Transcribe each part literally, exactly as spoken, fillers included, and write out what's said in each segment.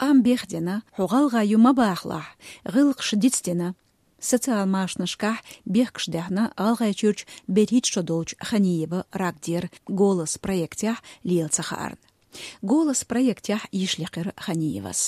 Къам бехдина, хьо гӀалгӀай ю ма бахалахь, гӀиллакхаш дицдина. Социал машанашкахь бехкаш даьхна ГӀалгӀайчуьрчу берхӀитта шо долчу Ханиева Рагдера «Голос» проектехь лела ца хаарна. «Голос» проектехь йиш лекхира Ханиевас.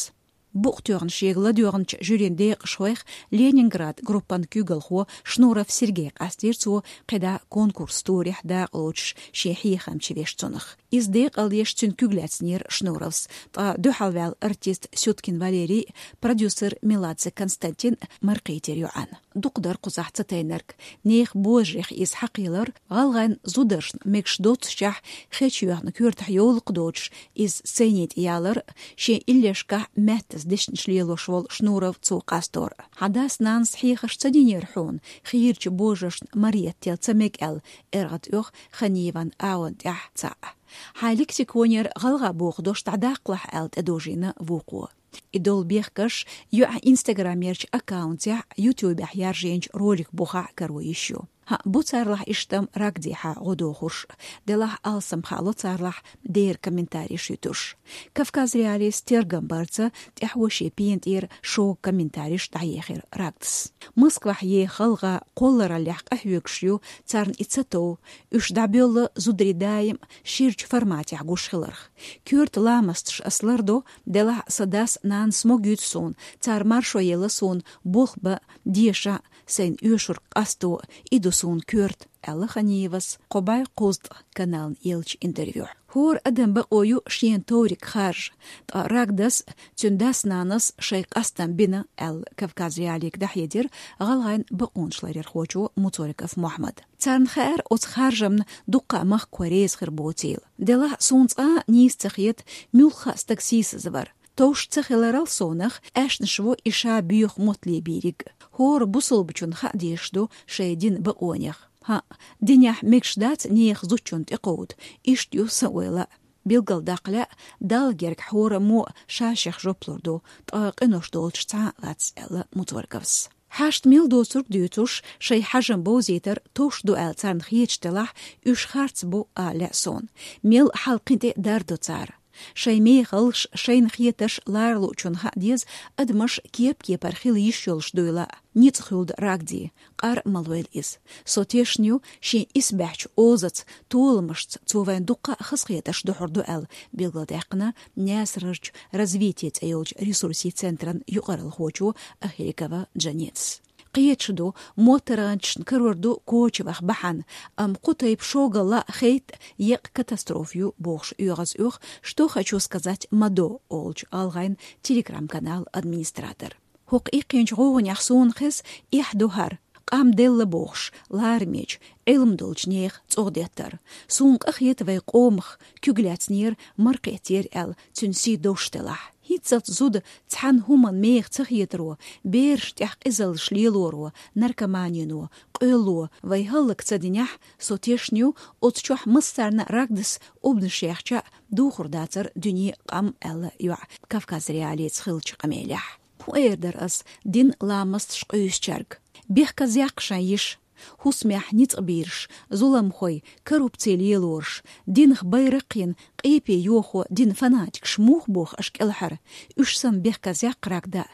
Букъ тоьхна шега ладоьгӀначу жюрин декъашхойх Ленинград группан куьйгалхо Шнуров Сергей къастийра цо кхидӀа конкурс турехь дакъалоцуш шен хьехам чу веш цунах. Иза декъалдеш цуьнан куьг лаьцнера Шнуровс, ткъа дуьхьалваьлла артист Сюткин Валерий, продюсер Меладзе Константин маркхийтира йоӀана. Дукха дара кхузахь ца тайнарг. Нехан божарех иза хьакхийлар, гӀалгӀайн зударшна мегаш доццушехь хечйоьхна коьртахь йовлакх доцуш, иза сцени тӀе ялар, шен иллешкахь маьттаза дешнаш лелош волу Шнуров цо къастор. Хьан дас-нанас хьехарш ца динера хьуна, хийрачу божаршна мареттел ца мега аьлла, эргӀа тӀех Ханиеван агӀон тӀехь цхьаъ. Хьайн лексиконера гӀалгӀа боху дош дӀадаккхалахь аьлла тӀедожийна вукхо. И долу бехкаш йоӀан инстаграмерчу аккаунтехь, ютубехь яржийначу ролик бухахь каро йиш ю. ХӀаъ, бу царлахь иштта-м Рагдехьа гӀо дохурш, делахь алсам хало царлахь дера комментариш юьтуш. Кавказ.Реалиис тергам барца тӀаьхьо шен пена тӀера шога комментариш дӀаехира Рагдас. Москвахь еха гӀалгӀа кхоллараллехь къахьоьгуш ю, царна и ца тов, уьш дӀабоьлла зударий даим ширачу форматехь гуш хиларх. Коьрта ламасташ ас лардо, делахь сан дас-нанас могуьйту суна, цара маршо елла суна болх бан, деша, сайн оьшург къасто, и ду суна коьрта, аьлла Ханиевас кхо бӀе кхузткъа канална еллачу интервьюхь. ХӀора адам бакъо ю шена товриг харжа, ткъа Рагдас, цуьнан дас-нанас шайн къастам бина, аьлла Кавказ.Реалиига дӀахьедира гӀалгӀайн бакъонашларъярхочо Муцориков Мохьмада. Царна хаьара оцу харжамна дуккха а махкахой реза хир боцийла. Делахь суна цкъа а нийса ца хета, муьлхха а стаг сийсазвар. Товш ца хиларал совнах, аьшнаш во и ша боьха мотт лебийриг. ХӀора бусалбачунна хаа дезаш ду шайн динан бакъонех. ХӀаъ, динехь мегаш дац нехан зудчунна тӀекховда, иштта ю сан ойла а. Билгалдаккха лаьа, Далла гергахь хӀораммо а ша-шех жоп лур ду, ткъа къинош долчуш цхьа а лац, аьлла Муцорковс. Хьашт мел доцург дуьйцуш, шайн хьажам бовзийтар товш ду аьлла царна хеташ делахь, уьш харц бу ала лаьа суна. Мел хьал кхин тӀе а дардо цара. Шайн мехаллаш, шайна хетарш ларалуучунна хаа деза, адамаш кеп-кепара хила йиш йолуш дуйла а. Ницкъ хуьлда Рагде, къар а ма лойла иза. Со тешна ю, шен исбаьхьчу озаца, толамашца цо вайн дуккха а хазахетарш духьур ду аьлла, билгалдаьккхина Наьсарарчу «Развитие» цӀе йолчу ресурсийн центран юкъаралхочо Ахирикова Джанетас. Кхеташ ду, моттаргӀанчашна карор ду коча ваха бахьана, амма кху тайпа шогалла а хӀетта еккъа катастрофа ю бохуш оьгӀаз оьху «Что хочу сказать, Мадо» олучу гӀалгӀайн телеграм-каналан администратор. ХӀокху иккхинчу гӀовгӀанехь суна хеза эхь ду хӀара, къам делла бохуш, ларамечу, Ӏилма долчу нехан цӀогӀа деттар. Суна къа хета вайн къомах, куьг лаьцнера, маракхеттера аьлла, цуьнан сий довш делахь. ХӀинццалц зуда цхьана хӀуманна меха ца хетаро, берашна тӀехь къизаллаш лелоро, наркоманино, къоьлло вай хӀаллак ца динехь, со тешна ю, оцу чохь массарна Рагдас обнаш яьхча а, духур дацара дуьне, къам, аьлла йоӀа Кавказ.Реалиица хиллачу къамелехь. ХӀун эр дара ас динан ламасташ къуьйсучаьрга? Бехказъяккха шайн йиша. ХӀусамехь ницкъ бийраш, зуламхой, коррупци лелораш, динах байракх йина, къепе йохо динан фанатикаш муха боху аша кӀелхьара? Уьш санна бехказъяккха Рагда.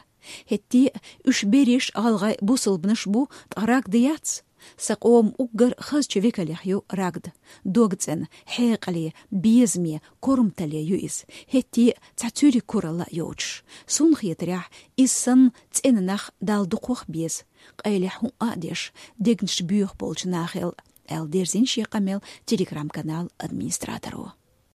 ХӀетте а уьш берриш а гӀалгӀай бусалбанаш бу, ткъа Рагда яц? Сан къоман уггар хазачу векалех ю Рагда. ДогцӀена, хьекъале, безаме, корматалле ю иза, хӀетте а цхьа цуьрриг куралла а йоцуш. Суна хетарехь, иза санна цӀена нах Далла дукхох а беза, къайлех хӀуъа а деш, дегнаш боьха болчу нахал, аьлла дерзийна шен къамел телеграм-каналан администраторо.